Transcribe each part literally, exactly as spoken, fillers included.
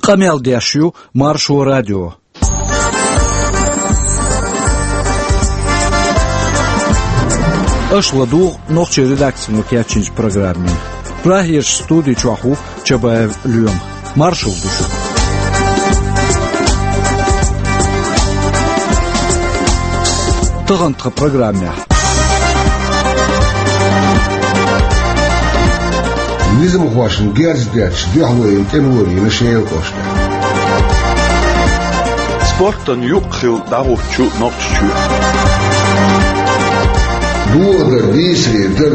Къамел деш ю Маршо радио. Аша ладугӀу нохчийн редакцино кечйинчу программе. Прагерчу студи чохь ву Чабаев Лоьма. Маршалла ду шуьга. Тахана тхан программехь. Низамхошна герз детташ дуьхьало йина тӀемалоша Шелан кӀоштехь. Спортан юкъ хилла дӀахӀуттучу Нохчийчоь. Дохадар дийцаре дар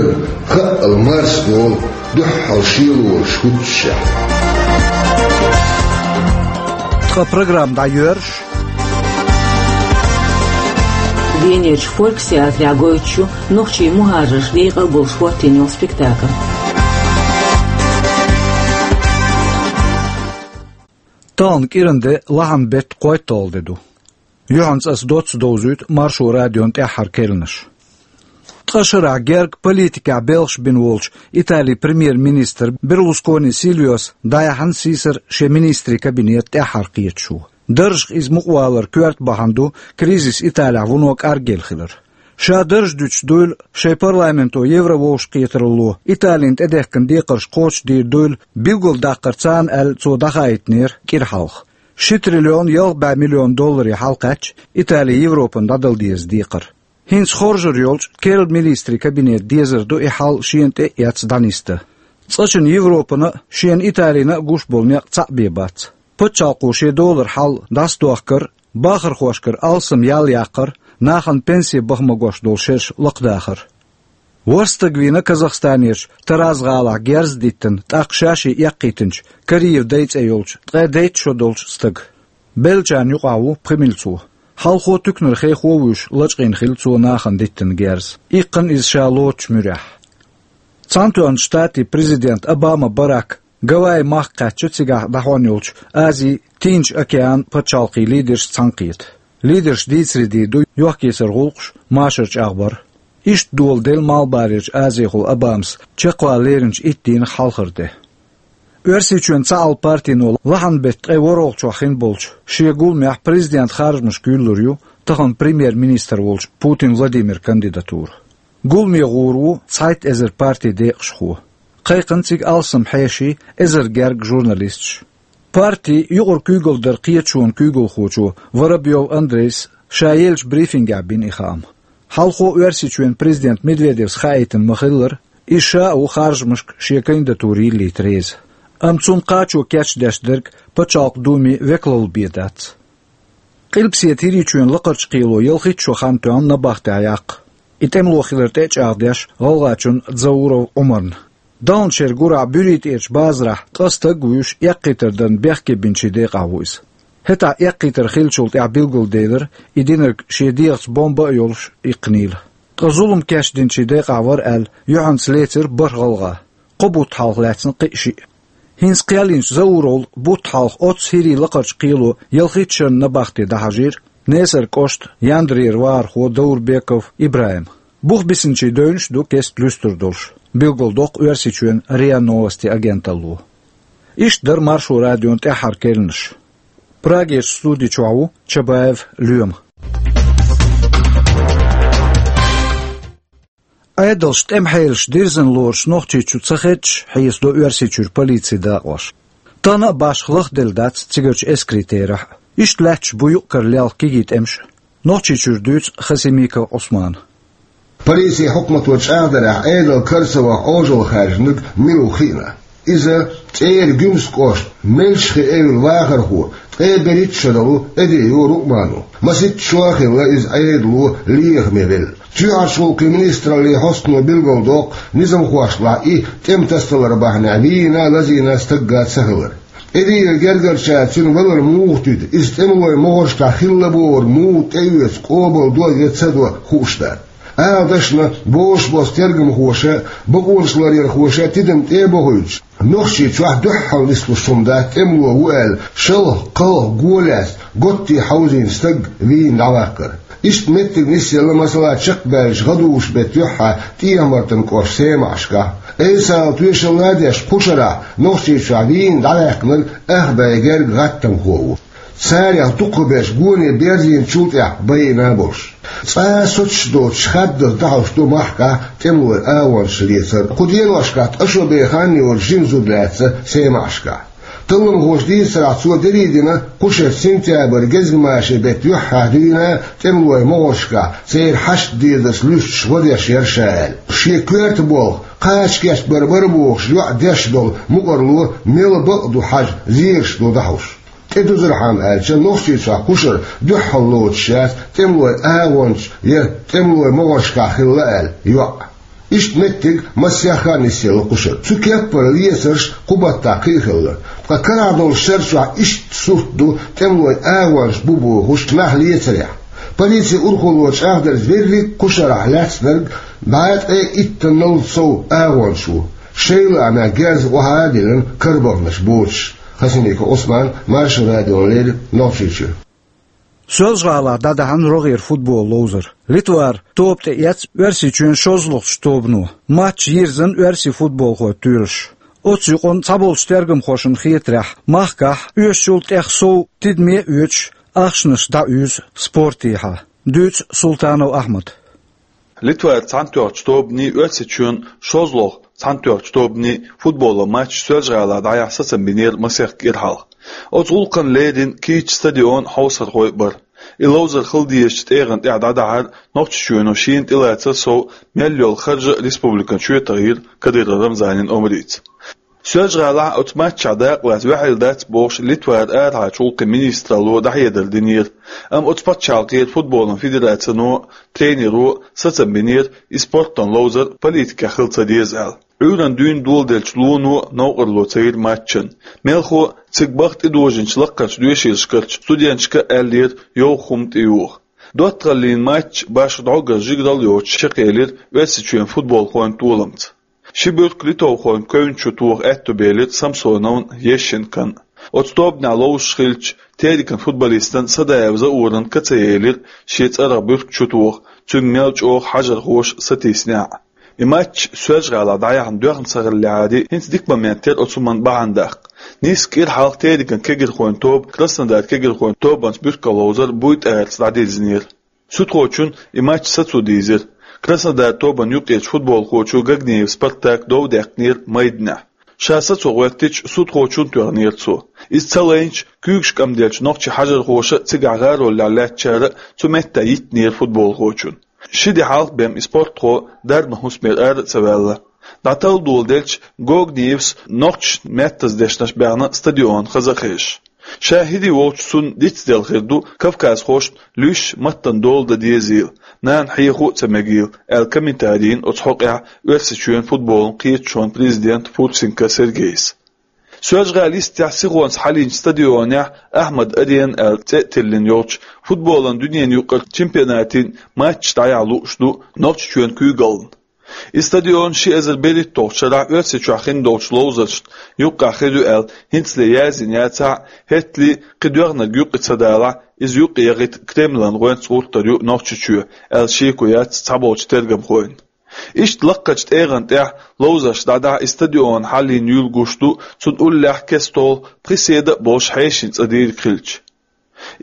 хаъал марсдолу дуьххьал шелонаш хӀуттушехь. Тхан программа дӀайоьрзуш. Венерчу Фольксеатрехь гойтуш ю нохчийн мухӀажарш декъал болуш хӀоттийна йолу спектакль. Тахана кӀиран де, лахьан беттан кхойтталгӀа де ду. Юьхьанца аса доцца довзуьйту Маршо радион тӀаьххьара керланаш. Ткъа шарахь герга политикехь белхаш бина волчу Италин премьер-министр Берлускони Сильвиос дӀаяьхьна сийсара шен министрийн кабинет тӀаьххьара кхеташо. Даржах иза мукъавалар коьрта бахьана ду кризис Италехь вуно кӀаргъелла хилар. Ша дарж дуьтуш дуйла, шайн парламенто еврововшахкхетаралло Италина тӀедехкина декхарш кхочушдийр дуйла билгалдаккхар царна аьлла, цо дӀахаийтинера кӀира хьалха. Ши триллион ялх бӀе миллион долларе хьалакхаьчча, Итали Европана дӀадала деза декхар. ХӀинца хоржур йолчу керла министрийн кабинета дезар ду и хьал шена тӀе а эцна дӀанисдан. Цкъачунна Европана а, шена Италина а гуш болу некъ цхьаъ бен бац. Пачхьалкхо шен долара хьал дӀасадохкар, бахархошкара алсам ял яккхар, нахана пенсе баха магош долу шераш лакхадахар. ВорхӀ стаг вийна Казахстанерчу Тараз-гӀалахь герз а диттина, тӀаккха ша-шиъ эккхийтинчу Кариев Дай цӀе йолчу ткъе дейтта шо долчу стага. Беллачарна юкъахь ву пхи мила цо. Хьалхо туькнара хехо а вуьйш, лачкъийна хилла цо нахана диттина герз. Иккхина иза ша лоцучу муьрехь. Цхьаьнатоьхначу Штатийн президент Обама Барак Гавайи махка кхаьчча, цигахь дӀахьон йолчу Азин, Тихачу океанан пачхьалкхийн лидерш цхьаьнакхета. Лидерш дийцаре дийр ду йохк-йисаран гӀуллакхаш, машаран чӀагӀбар. Иштта дола делла Малхбалерчу Азехула Обамас чекхвала леринчу итт дийнах хьалхара де. Оьрсийчоьнан цхьаалла партино лахьан беттан ткъе ворхӀалгӀачохь хин болчу шен гуламехь президентан харжамашка юьллур ю тахана премьер-министр волчу Путин Владимиран кандидатура. Гуламе гӀур ву цхьайтта эзар партин декъашхо. Кхайкхина цига алсам хьеший, эзар гергга журналисташ. Партин юкъара куьйгалла даран кхеташонан куьйгалхочо Воробьев Андрейс ша еллачу брифингехь бина и хаам. Хьалхо Оьрсийчоьнан президент Медведевс хаийтина ма-хиллара, иза ша а ву харжамашка шен кандидатура йиллийта реза. Амма цунна кхачо кечдеш дерг Пачхьалкхан Думин векалалла бен дац. Къилбаседа ХӀирийчоьнан Лакхарчу кхело ялхитта шо хан тоьхна набахтехь яккха. И тӀемало хилар тӀе а чӀагӀдеш гӀалгӀачунна Дзауров Ӏумарна. Даханчу шеран гурахь БуьритӀерчу базарахь ткъа стаг а вуьйш, эккхийтар дарна бехке бинчийн декъахь ву иза. ХӀетахь эккхийтар хиллачул тӀаьхьа билгалделира, и динарг шен дегӀаца бомба а йолуш иккхинийла. Ткъа зулам кечдинчийн декъахь вара аьлла, юьхьанца лецира бархӀ гӀалгӀа. Кхо бутт хьалха лаьцна кхин а шиъ. ХӀинца кхел йинчу Зауровл бутт хьалха оццу ХӀирийн Лакхарчу кхело ялхитта шарна набахте дӀахьажийра Несаран кӀоштан Яндарера вахархо Даурбеков ИбрахӀим. Бух бисинчийн девнаш а ду кеста луьстур долуш, билгалдоккху Оьрсийчоьнан РИА Новости агенталло. Иштта дара Маршо радион тӀаьххьара керланаш. Прагерчу студи чохь ву Чабаев Лоьма. Ӏедалша тӀеман хьелаш дирзина лоруш Нохчийчу ца хеташ хьесадо Оьрсийчуьра полицин дакъош. Тахана а башха лахделла дац цигарчу эскарийн терахь а. Иштта лаьтташ бу юкъ-кара лелха кегий тӀемаш а. Нохчийчуьра дуьйцу Хасимиков Ӏусмана. Полицин хьукмато чӀагӀдарехь, Ӏедал кара ца ваха Ӏожалла хаьржинарг мила ву хиъна. Иза ЦӀеран Гуьмсан кӀоштан Мелчхи-Эвлан вахархо, ткъе берхӀитта шо долу Эдриев Рукъман ву. Масийтта шо а хилла, иза Ӏедало лехаме велла. Чоьхьарчу гӀуллакхийн министраллин хьостано билгалдоккху, низамхошлахь и тӀеман тасадалар бахьанехь вийна а, лазийна а стагга ца хилар. Эдриевн гергарчара цуьнан валар муха туьду, иза тӀемалойн могӀаршкахь хилла бохург муха тӀеоьцу, къобалдо я ца до хууш дац. Ала дашна, бозуш болчу тергамхоша, бакъонашларъярхоша тидам тӀе а бохуьйтуш, Нохчийчохь дуьххьал нислуш хӀума дац тӀемало ву аьлла, шалха, кхалха го лаьцна, готтий хьовзийна стаг вийна дӀаваккхар. Иштта меттиг нисъелла, масала, чекхбаьлча гӀадужу беттан юьххьехь ТӀехьа-Мартан кӀоштан Семашкахь. Айса тоьшалла деш, кху шарахь Нохчийчохь вийна дӀаваьккхинарг ах бӀе гергга гӀаттамхо ву. Царех дукхахберш гоне берзийначул тӀаьхьа байина болуш. Цкъа а соцуш доцуш хаддаза дӀахьош ду махкахь тӀемалойн агӀончаш лецар. Кху деношкахь ткъа шо бен хан йоцу жима зуда лаьцна Семашкахь. Талламхоша дийцарехь, цо дерриг а дина кху шеран сентябрь гезгмашин беттан юьххьехь дуьйна тӀемалойн могӀаршкахь, церан хьашт дезарца луьстуш гӀо деш яра ша аьлла. Шен коьрта болх, кхача кечбар бара бохуш йоӀ деш долу мукӀарло мел бакъ ду хьажа, лелаш ду дӀахьош. ТӀедузархьама аьлча, Нохчийчохь кху шарахь дуьххьал лоцуш яц тӀемалойн агӀончаш я тӀемалойн могӀаршкахь хилла аьлла йоӀ. Иштта меттиг массех а нисъелла кху шарахь. Цу кеппара лецарш кху баттахь кхин а хилла. Ткъа карахь долчу шарахь иштта сурт ду тӀемалойн агӀончаш бу бохуш нах лецарехь. Полицин урхалло чӀагӀдарца, верриг а кху шарахь лаьцнарг бӀе ткъе иттанал сов агӀончаш ву. Шайн лаамехь герз охьа а диллина карабаханарш боцуш. Хасимиков Ӏусман, Маршо радиона леррина, Нохчийчоь. Соьлжа-ГӀалахь дӀадаьхьна рогӀера футбол ловзар. Литвара тоба тӀеэцна Оьрсийчоьнан шолгӀачу тобано. Матч йирзина оьрсийн футболхойн тоьлаш. Оцу юкъанна цхьаболчу тергамхошна хетарехь, махкахь оьшучул тӀех сов тидаме а оьцуш, ахчанаш дӀауьйзу спортехьа. Дуьйцу Султанов Ахьмада. Литвара цхьаьнатоьхначу тобанний, Оьрсийчоьнан шолгӀачу цхьаьнатоьхначу тобанний футболан матч Соьлжа-ГӀалахь дӀаяхьа сацам бинера масех кӀира хьалха. Оцу гӀуллакхна лерина кийча стадион, хьовсархой а бара. И ловзар хила дезачу тӀегӀан тӀехь дӀадахьар Нохчийчоьно шена тӀелацар сов мел йолу харж а республикана чоьтахьара Кадыров Рамзанан омрица. Соьлжа-ГӀалахь оцу матчехь дакъалаца ваьхьийла дац бохуш, Литвара арахьарчу гӀуллакхийн министралло дӀахьедар динера, амма оцу пачхьалкхера футболан федерацино, тренеро сацам бинера, и спортан ловзар политикехь хила ца деза аьлла. Ӏуьйранна дуьйна доладеллачу лоно новкъарло ца йира матчана. Мелхо а, цига бахка тӀедожийначу лакхарчу доьшийлашкарчу студенташка а аьллера йовха хӀума тӀеюха. ДоттагӀаллин матч башха дӀогара жигаралла йоцуш чекхъелира Оьрсийчоьнан футболхойн толамца. Ши буьрка литовхойн кевнна чу тоха аьтто белира Самсоновн а, Ещенкон а. Оцу тобанехь ловзуш хиллачу Терекан футболистан Садаев Зауран ка ца елира шен цӀарах буьрка чу тоха, цуьнга мел чӀогӀа хьажархоша сатийсинехь а. И матч Соьлжа-ГӀалахь дӀаяхьна доьхна ца хиллехьара, хӀинца дика момент яра оцу хӀуманна бахьана даккха. Нийсса кӀира хьалха Терекан кегирхойн тоба Краснодар кегирхойн тобанца буьркалла ловзар буй тӀарца дӀадирзинера. Судхочун и матч сацо дийзира. Краснодар тобанна юккъерчу футболхочо Гагниев Спартак дов даьккхинера майданехь. Ша сацо гӀоьттича, судхочун тоьхнера цо. Иза ца лайначу, куьйгаш кӀамделлачу нохчийн хьажархоша а, цигахь гӀаролехь лаьттачара а цу меттехь йиттинера футболхочун. Ши де хьалха бен и спортхо дарбан хӀусамера ара а ца ваьлла. ДӀаталла доладелча, Гогниевс нохчашна меттаза дешнаш баьхна стадион хаза а хезаш. Ша хӀирий волчу цунна дицделла хир ду кавказхошна луьйш маттана дола дан дезийла, нана хьехо а ца мегийла, аьлла комментарий йина оцу хьокъехь Оьрсийчоьнан футболан кхеташонан президента Фурсенко Сергейс. Соьлжа-ГӀалин йистехь сихонца хьалийначу стадионехь Ахьмад-Арена аьлла цӀе а тиллина йолчу футболан дуьненан юкъара чемпионатан матчаш дӀаяхьа лууш ду Нохчийчоьнан куьйгаллина. И стадион ши эзар берхӀитталгӀачу шарахь Оьрсийчохь хин долчу ловзаршна юккъехь хир ю аьлла хӀинцале яздина яцахь а, хӀеттале кхин доьхнарг юккъе ца далахь, иза юккъе яхийта Кремлан гӀоьнца гӀуртар ю Нохчийчоь, аьлла шеко яц цхьаболчу тергамхойн. Иштта лакхарчу тӀегӀан тӀехь ловзарш дӀадахьа и стадион хьалийна юьйлла гуш ду, цунна уллехь кестолгӀа пхи седа а болуш хьешийн цӀа дийриг хилча.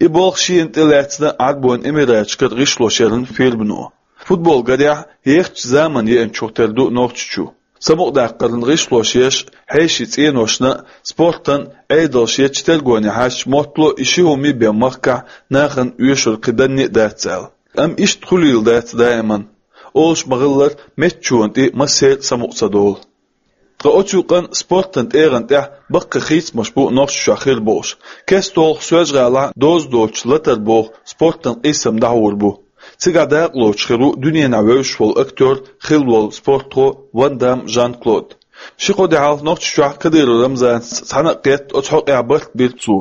И болх шена тӀелаьцна Ӏарбойн Эмираташкара гӀишлош яран фирмано. Футбол, гарехь, ехачу заманан еанчух тера ду Нохчийчу. Самукъадаккхаран гӀишлош еш, хьешийн цӀеношна а, спортан а Ӏедалш ечу тергоне хьаьжча, моттало и ши хӀума бен махкахь нахана оьшура кхин данне а дац аьлла. Амма иштта хуьлийла дац даиман. Олуш ма-хиллара, меттачунна тӀе массеран а самукъа ца долу. Ткъа оцу юкъанна спортан тӀегӀан тӀехь баккхий хийцамаш бу Нохчийчохь хир болуш. КестолгӀа Соьлжа-ГӀалахь доза доцуш «Латар» боху спортан къийсам дӀахьур бу. Цигахь дакъалоцуш хир ву дуьненахь вевзаш волу актер, хилла волу спортхо Ван Дам Жан-Клод. Ши-кхо де хьалха Нохчийчохь Кадыров Рамзанца цхьаьна а кхетта, оцу хьокъехь барт бира цо.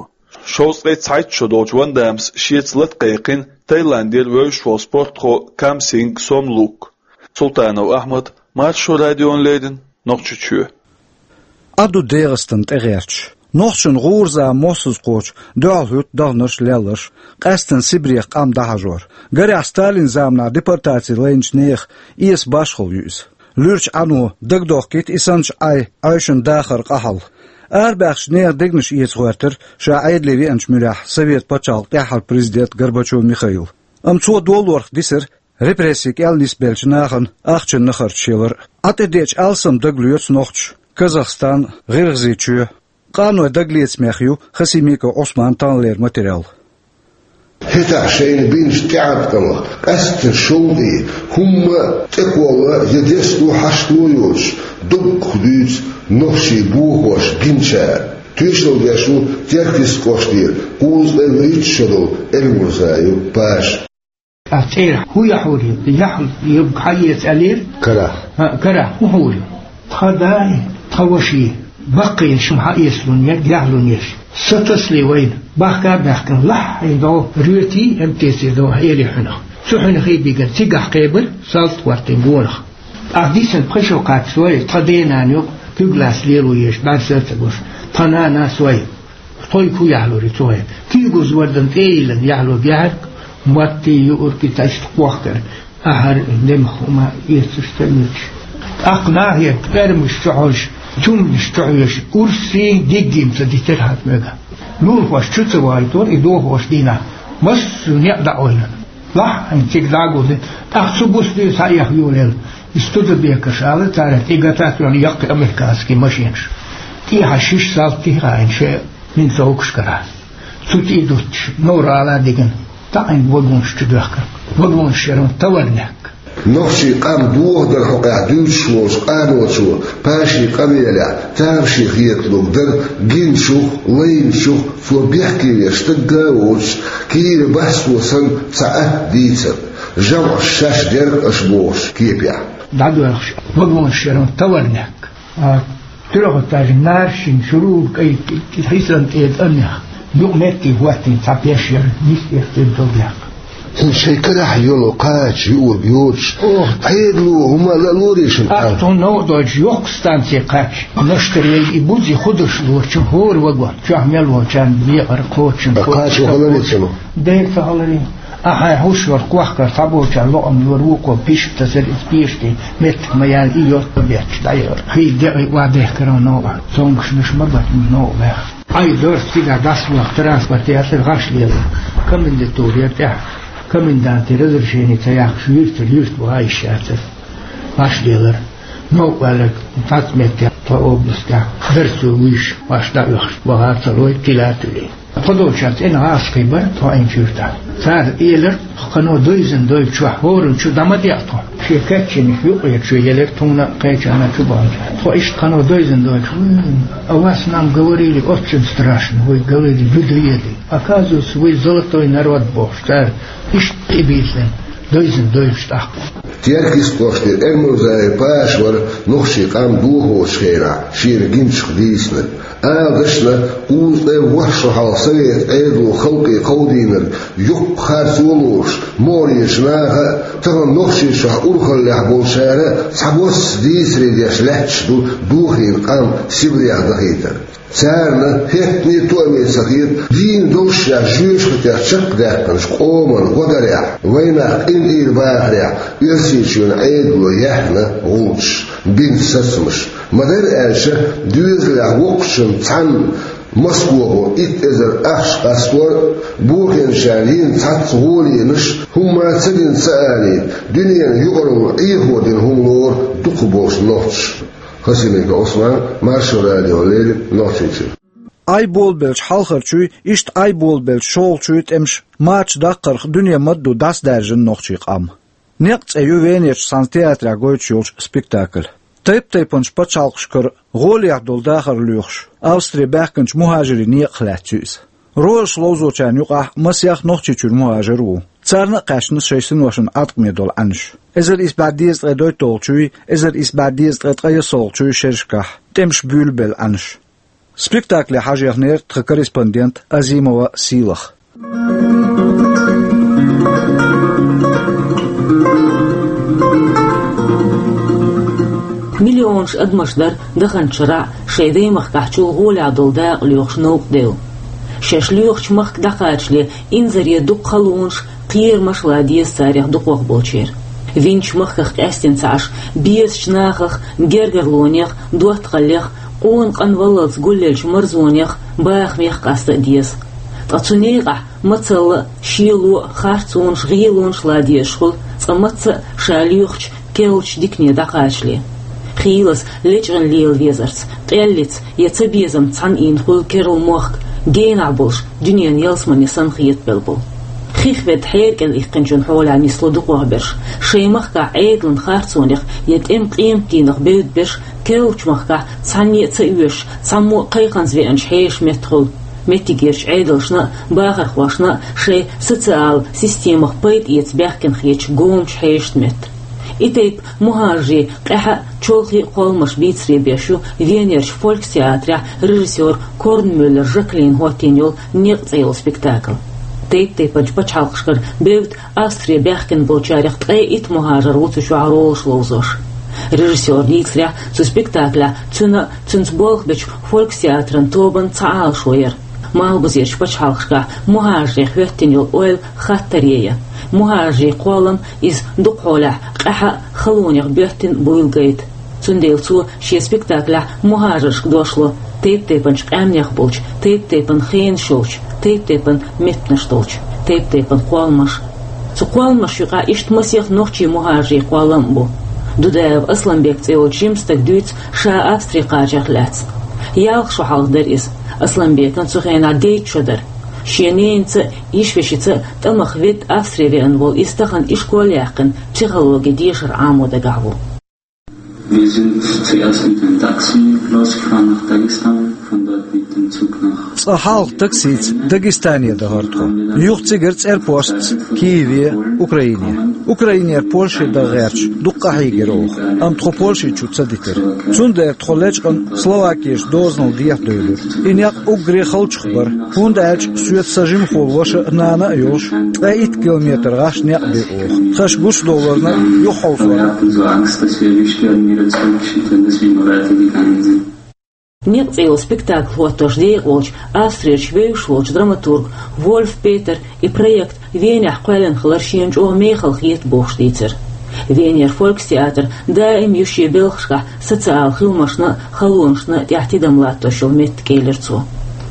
Шовзткъе цхьайтта шо долчу Ван Дамс шеца лата кхайкхина Таиландера вевзаш волу спортхо Кам Синг Сом Лук. Султанов Ахьмад, Маршо радиона леррина, Нохчийчоь. Ӏа ду ДегӀастана тӀегӀерташ. Нохчашна гӀура зама моссаза кхочу дуьхьал хӀуьтту даханарш, лелларш, къаьсттина Сибрех къам дӀахьажор. Гарехь, Сталин заманахь депортаци лайначу нехан эса башхалла ю иза. Луьрачу Ӏано дагадохкийта и санначу Ӏай Ӏаьшанан дахаран къахьалла. Арабаьхначу нехан дегнаш эца гӀоьртира ша Ӏедале веанчу муьрехь совет пачхьалкхан тӀаьххьара президент Горбачев Михаил. Амма цо долорах дисира репрессийн кӀел нисбеллачу нахана ахчанан нахарчаш ялар а. Ӏа тӀедеъча алсам дагалоьцу нохчаша Казахстан, ГӀиргӀазийчоь. Къаной дагалецамех ю Хасимиков Ӏусманан таханлера материал. ХӀетахь шайна бинчу тӀеӀаткъамах, къаьсттина шовкъе, хӀумма а тӀекхолла я десто хьашто йоцуш, дуккха дуьйцу нохчийн бохош гиначара. Тоьшалла деш ву Теркйист кӀоштара кхузткъе вуьрхӀитта шо долу Эрмурзаев Паша. Ткъа цӀера хӀун яхьур ю? Яхь, юбка хьаэца аьллера? Карахь. ХӀаъ, карахь хӀун хьур ю? Тхан дай, тхан ваший, баккхийна шуна хьаэцалун ерг яхьлун еш. Са тасале вайна, бахка а баьхкина, лахьйна догӀу, роьтий, МТЦ догӀу, хьери хьуьнах. Цу хьуьнах хьийбигар цигахь кхебира, салт хӀоттийна гонах. Ахь дисина пхи шо кхаччалц, тхан денана юкъа куьг лаца лело езаш, бӀаьрса а ца гуш, тхан нана сой. Тхойга хӀун яхьлур ю цо хьайна? Куьйгаза вардан тӀе а йиллина яхьлург яхьарг, маттий, юург и тайста кхохкара, ахьар, демах хӀума эцаш ца муьтуш. ТӀаккха нахе пӀермаш чу хьожуш, чумнаш чу хьоьжуш, урсий, диггий ца дитира хьан мега. Лулахошка чу ца вайтора и дохош дийнахь, массо а некъ дӀа а ойла. Лахьйна цига дӀагулдина, тӀаккха цу буса дуьйна схьаэха йолаелла. И Студебекерш ала, цара тӀе гатат йолу яккхий американский машинаш. ТӀехьа шиш салти хаийна шайн минцовкашкара. Цу тӀе дуттуш, Новр-ГӀала дигна, таӀийна вагонаш чу доьхкира. Вагонаш яра товарняк. Нохчийн къам дохадар хьокъехь дуьйцуш волчу къаночо Пашин къамелехь тамашийна хеталург дара гиначух, лайначух цо бехке веш стагга а воцуш, кийра бац цо санна цхьа атта дийцар, жамӀаш шаьш дерг аша бохуш кепехь. ДӀадоьлхуш вагонаш яра товарняк. А, трёхэтажный, наршин, шурур кӀай, хьисан тӀе тӀаннех. Юкъа метте хӀоттийна цхьа пеш яра, нисъеш дерг долу яккха. ХӀинца шайн карахь йолу кхача юург йоцуш, Ох. Ӏедало хӀума ла лорийшина Ах, тхуна новкъа дойтуш, йоккха станций кхаьчча, наштарей и бузи худаш лорчу, хӀора вагон, чохь мел волчарна бекъар кхочун, Ткъа кхачо хала вецало? Дера ца хала вен. Ахьа хьуш вара кхохкар, цхьаболчарна лоӀам лора, вукхо пишта тасар иза пеште, меттах ма яьлла, и йотта бетташ дӀайора. Хи декъий ва дехкара новкъа, цомгушнаш ма бат новкъа бех. Ай дорс цигахь дӀасавахка транспорт яцара гӀаш лелар. Комендатура яра тӀехь. Комендантан разрешение ца яхкаш юьртара юьрта ваха йиш яцара. ГӀаш лелар. Новкъа ваьлларг цхьацца метте тхо областехь дарцо вуьйш, ваш дӀаоьхуш, ваха ца лой, тила а туьлий. Тхо долчохь цӀена гӀазкхий бара тхо Ӏинчу юьртахь. Цара элира, тхо кхано дойзина дойла чохь хӀоранна чу дӀа ма деа тхо. Шен кечйинаш юкъе чу елира тхуна а, кхечарна а чу баханчохь. Тхо иштта кхано дойзина дойтуш, вуй, а вас нам говорили очень страшно, вы говорили, вы доедете. Оказывается, вы золотой народ бохуш, цара иштта тӀебийцина, дойзина дойлуш тӀаккха. Теркйист кӀоштара Эрмурзаев Паша вара нохчийн къам дохочу хенахь шена гиначух дийцинарг. Ала дашна, кхузткъе ворхӀ шо хьалха совет Ӏедало халкъе кховдийнарг йоккха харцо а лоруш, могӀарерчу наха а, тахана Нохчийчохь урхаллехь болчара а цхьабосса дийцаре деш лаьтташ ду дохийна къам Сибрех дахийтар. Царна хӀеттане а тоаме ца хета, дийна долуш шаьш жоьжахатех чекхдаьккхинчу къоман гӀо дарехь, вайнах къинтӀера бахарехь Оьрсийчоьнан Ӏедало яьхна гӀулчаш, бина сацамаш. Ма-дарра аьлча, доьзалехь воккхачунна цхьанна Москвахо итт эзар ахча къастор а, бохийначарна йина цхьацца гӀолийнаш, хӀумма а ца дина ца алийта, дуьненан юкъаралла Ӏехо дина хӀума лору дукхахболчу нохчаша. Хасимиков Ӏусман, Маршо радиона леррина, Нохчийчуьра. Ӏай болабеллачу хьалхарчуй, иштта Ӏай болабеллачу шолгӀачуй тӀемаш мачдаккхарх дуьне ма-дду дӀасадаьржина нохчийн къам. «Некъ» цӀе ю Венерчу цхьана театрехь гойтуш йолчу спектакль. Тайп-тайпанчу пачхьалкхашкара гӀолехь долу дахар лоьхуш, Австре баьхкинчу мухӀажирийн некъах лаьцна ю иза. Ролаш ловзочарна юкъахь масех Нохчийчуьра мухӀажир а ву. Царна а кхаьчна шайн синошна Ӏаткъаме долу Ӏаьнаш. Эзар исс бӀе дезткъе доьтталгӀачуй, эзар исс бӀе дезткъе ткъе ялсолгӀачуй шерашкахь тӀемаш буьйлабелла Ӏаьнаш. Спектакле хьажаехнера тхан корреспондент Азимова Сийлаха. Миллион Миллионаш адамаш дар даханчу шарахь шайн даймахкахь чул гӀолехь долу дакъа лоьхуш новкъа девлла. Шаьш лоьхучу махка дӀакхачале инзаре дукха халонаш, кхерамаш ла деза царех дукхох болчеран. Винчу махках къаьстина ца Ӏаш, безачу нахах, гергарлонех, доттагӀаллех, къона къанваллалц гуллелчу марзонех, бахамех къаста а деза. Ткъа цу некъахь мацалла а, шело а, харцонаш, гӀелонаш ла дезаш хуьлу, цкъа мацца а ша лоьхучу керлачу дикане дӀакхачале. Хийлаза, лечкъина лела везарца, къеллица я цабезамца цхьаьна ийна хуьлу керла мохк, генахь болуш, дуьненан ялсамане санна хетабелла болу. Хих ведда хьеракӀел иккхинчун хьолехь нисло дукхох берш, шайн махкахь Ӏедалан харцонех я тӀеман къематдийнах бевдда берш, керлачу махкахь цхьанне а ца оьшуш, цхьаммо а кхайкхамца веанчу хьешан метта хуьлу. Меттигерчу Ӏедалшна а, бахархошна а шайн социал системах пайда эца баьхкина хеташ гомачу хьешашна метта. И тайпа мухӀажарийн къаьхьа а, чолхе а кхолламаш бийцаре беш ю Венерчу фолькстеатрехь режиссёр Корнмюллер Жаклина хӀоттийна йолу «Некъ» цӀе йолу спектакль. Тайп-тайпанчу пачхьалкхашкара бевдда Австре баьхкина болчарех ткъе итт мухӀажар ву цу чохь ролаш ловзош. Режиссёран дийцарехь, цу спектаклехь цуьнан а, цуьнца болх бечу фолькстеатран тобанан цхьа Ӏалашо яра. Малхбузерчу пачхьалкхашкахь мухӀажаре хӀоьттина йолу ойла хаттаре я. МухӀажарийн кхоллам иза дукхахьолехь къаьхьа а, халонех боьттина буйла гайта. Цундела цо шен спектаклехь мухӀажаршка дош ло, тайп-тайпанчу къаьмнех болчу, тайп-тайпана хенаш йолчу, тайп-тайпана меттанаш долчу, тайп-тайпана кхолламаш. Цу кхолламашна юкъахь иштта масех нохчийн мухӀажарийн кхоллам а бу. Дудаев Асланбек цӀе йолчу жима стага дуьйцу ша Австре кхачарх лаьцна. Ялх шо хьалха дара иза. Асланбекан цу хенахь дейтта шо дара. Шен ненаца а, йишвешица а тӀамах ведда Австре веана волу иза тахана ишкол а яьккхина, психологин дешар Ӏамо дагахь ву. Wir sind zuerst mit dem Taxi losgefahren nach Dagestan, von dort mit dem Zug nach Цкъа хьалха таксица Дагестане дахара тхо. Юха цигара цӀерпостца Киеве, Украине. Украинера Польше дан гӀерташ дукха къахьийгира оха, амма тхо Польше чу ца дитира. Цундела тхо лечкъана Словакерчу дозанал дехьадевлира. И некъ уггаре халчух бара, хӀунда аьлча соьца сан жимахволу ваша а, нана а йолуш, ткъе итт километр гӀаш некъ бу оха. Тхаьш гучудовларна юхахьовсорна. «Некъ» цӀе йолу спектакль хӀоттош декъалволчу Австрерчу вевзаш волчу драматург Вольф Петер и проект Венехь кхоьллина хилар шена чӀогӀа мехала хета бохуш дийцира. Венера фолькстеатр даим ю шен белхашкахь социал хиламашна а, халонашна а тӀехь тидам латтош йолу меттиг, элира цо.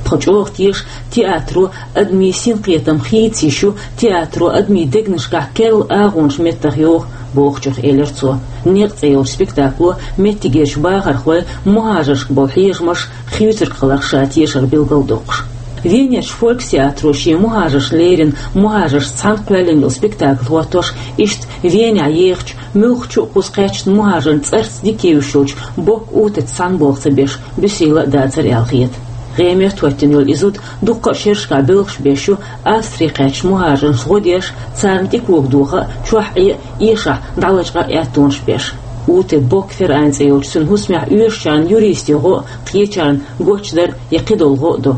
Тхо чӀогӀа теша театро адамийн синкхетам хийца йиш ю, театро адамийн дегнашкахь керла агӀонаш меттах йоху бохучух, элира цо. «Некъ» цӀе йолчу спектакло меттигерчу бахархойн мухӀажаршка болу хьежамаш, хуьйцург хиларх ша тешар билгалдоккхуш. Венерчу фолькстеатро шен мухӀажаршна леррина мухӀажаршца цхьаьна кхоьллина йолу спектакль хӀоттош, иштта Венехь ехачу, муьлххачу а кхуза кхаьчна мухӀажарна цӀарца дика евзаш йолчу Бок Утица цхьаьна болх ца беш, буьсийла а дацара аьлла хета. ГӀемерта хӀоьттина йолу и зуда дуккха а шерашкахь боьлхуш беш ю Австре кхаьчначу мухӀажаршна гӀо деш, царна тӀе кога доха а, чохь Ӏе а, эшахь дӀалачкъа а аьттонаш беш. Ути Бок Ферайн цӀе йолчу цуьнан хӀусамехь оьшучарна юристийн гӀо а, кхечарна гочдар а я кхидолу гӀо а до.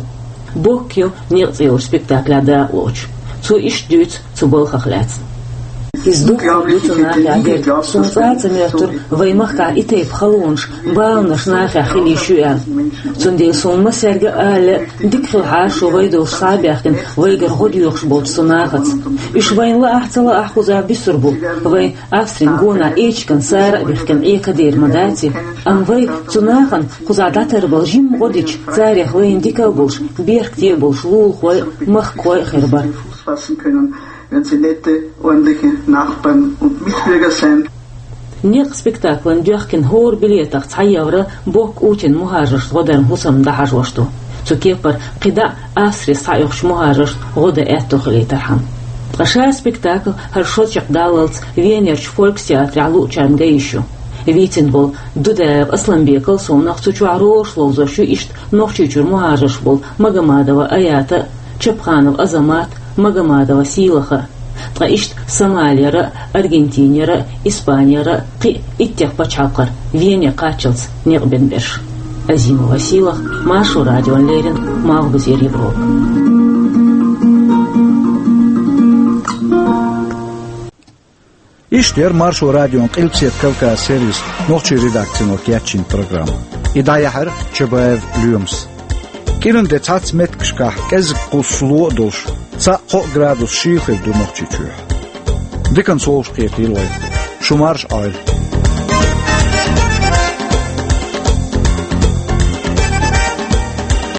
Бок ю «Некъ» цӀе йолчу спектаклехь дакъалоцуш. Цо иштта дуьйцу цу балхах лаьцна. Иза дукха ду цу нахехь дерг. Суна цкъа а ца моьттура вайн махкахь и тайпа халонаш, баланаш нахехь хила йиш ю аьлла. Цундела суна массаьрга а ала лаьа, дика хилахьара шу вай долуш схьа а баьхкина, вайгара гӀо доьхуш болчу цу нахаца. Уьш вайна лаахь а, ца лаахь а кхузахь буьсур бу. Вайн Австрин гонахь эчиган сара а бихкина Ӏе кадер ма дац и, амма вай цу нахана кхузахь дӀатарбала жимма гӀо дича, царех вайна дика а болуш, беркате а болуш лулахой а, махкахой а хир бара. Wenn sie nette, ordentliche Nachbarn und Mitbürger sind. «Некъ» спектаклан доьхкина хӀора билетах цхьа евро Бок Утин мухӀажаршна гӀо даран хӀусамна дӀахьажош ду. Цу кепара кхидӀа а Австре схьаоьхучу мухӀажаршна гӀо дан аьтто хилийтархьама. Ткъа ша спектакль хӀара шо чекхдаллалц Венерчу фолькстеатрехь луучарна ган йиш ю. Вийцина болу Дудаев Асланбекал совнах цу чохь ролаш ловзош ю иштта Нохчийчуьра мухӀажарш болу Магомадова Аята а, Чапханов Азамат а, Магомадова Сийлаха а. Ткъа иштта Сомалера а, Аргентинера а, Испанера а, кхин а иттех пачхьалкхара Вене кхаччалц некъ бина берш. Азимова Сийлаха, Маршо радиона леррина, Малхбузера Европа. Иштта яра Маршо радион Къилбаседа Кавказ сервисан нохчийн редакцино кечйина программа. И дӀаяьхьира Чабаев Лоьмас. КӀиран де цхьацца меттигашкахь кӀезиг-кхузза ло а долуш, цхьаъ-кхоъ градус шийла хир ду Нохчийчохь. Диканца вовшахкхетийла вай. Шу марша Ӏойла.